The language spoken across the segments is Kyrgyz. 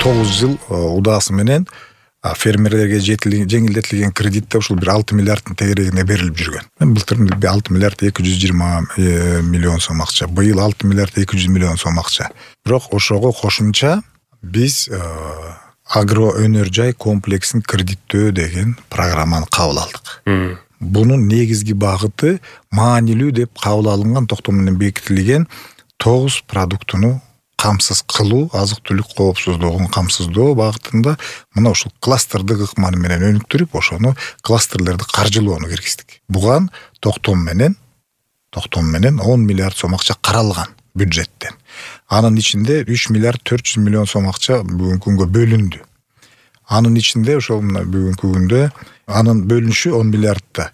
9 жыл удаасы менен фермерлерге жеңилдетилген кредитте ушул бир 6 миллиарддын тегерегине берилип жүргөн. Былтыр 6 миллиард 220 миллион сом акча, быйыл 6 миллиард 200 миллион сом акча. Бирок ошого кошумча биз агро өнөр жай комплексин кредиттөө деген программаны кабыл алдык. Бунун негизги багыты маанилүү деп кабыл алынган токтом менен бекитилген 9 продуктуну камсыз кылуу, азык-түлүк коопсуздугун камсыздоо багытында мына ушул кластердик ыкманы менен өнүктүрүп, ошону кластерлерди каржылоону киргиздик. Буга токтом менен 10 миллиард сом акча каралган бюджеттен. Анын ичинде 3 миллиард 400 миллион сом акча бүгүнкү күнгө бөлүндү. Анын ичинде ошол мына бүгүнкү күндө анын бөлүнүшү 10 миллиардта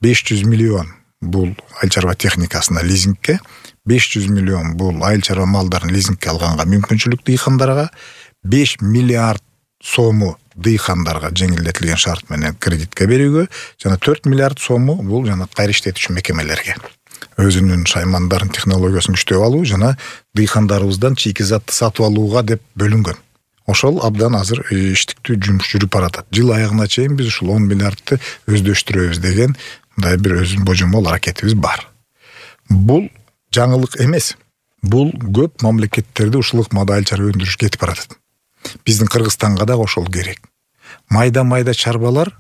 500 миллион бул айыл чарба техникасына лизингке, 500 миллион бул айыл чарба малдарын лизингке алганга мүмкүнчүлүк дыйкандарга, 5 миллиард сому дыйкандарга жеңилдетилген шарт менен кредитке берүүгө, жана 4 миллиард сому бул жана кайра иштетүүчү мекемелерге өзүнүн шаймандарын технологиясын күчтөп алуу жана дыйкандарыбыздан чийки затты сатып алууга деп бөлүнгөн. Ошол абдан азыр иштиктүү жумуш жүрүп баратат. Жыл аягына чейин биз ушул 10 миллиардты өздөштүрөбүз деген мындай бир өзүнүн божомол аракетибиз бар. Бул жаңылык эмес. Бул көп мамлекеттерде ушул ыкмада айыл чарба өндүрүш кетип баратат. Биздин Кыргызстанга да ошол керек. Майда чарбалар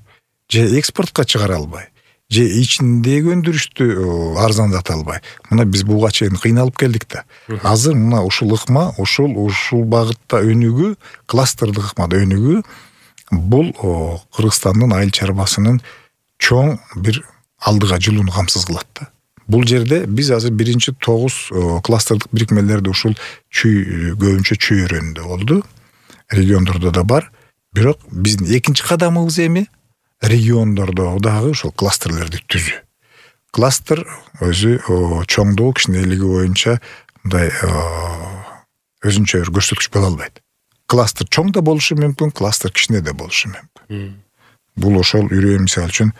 же экспортко чыгара албай, же ичиндеги өндүрүштү арзандата албай. Мына биз буга чейин кыйналып келдик да. Азыр мына ушул ыкма, ушул багытта өнүгүү, кластердик ыкмада өнүгүү бул Кыргызстандын айыл чарбасынын чоң бир алдыга жылууну камсыз кылат да. Бул жерде биз азыр биринчи 9 кластердик бирикмелерди ушул көбүнчө чүй өрөөнүндө болду. Региондордо да бар. Бирок биздин экинчи кадамыбыз эми региондордо дагы ушул кластерлерди түзүү. Кластер өзү чоңдугу, кичинелиги боюнча мындай өзүнчө бир көрсөткүч боло албайт. Кластер чоң да болушу мүмкүн, кластер кичине да болушу мүмкүн. Бул ошол мисалы үчүн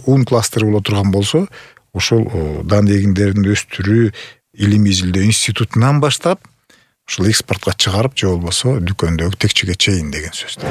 ун кластери боло турган болсо, ошол дан эгиндерин өстүрүү илимий изилдөө институтунан баштап ушул экспортко чыгарып, же болбосо дүкөндөгү текчеге чейин деген сөз.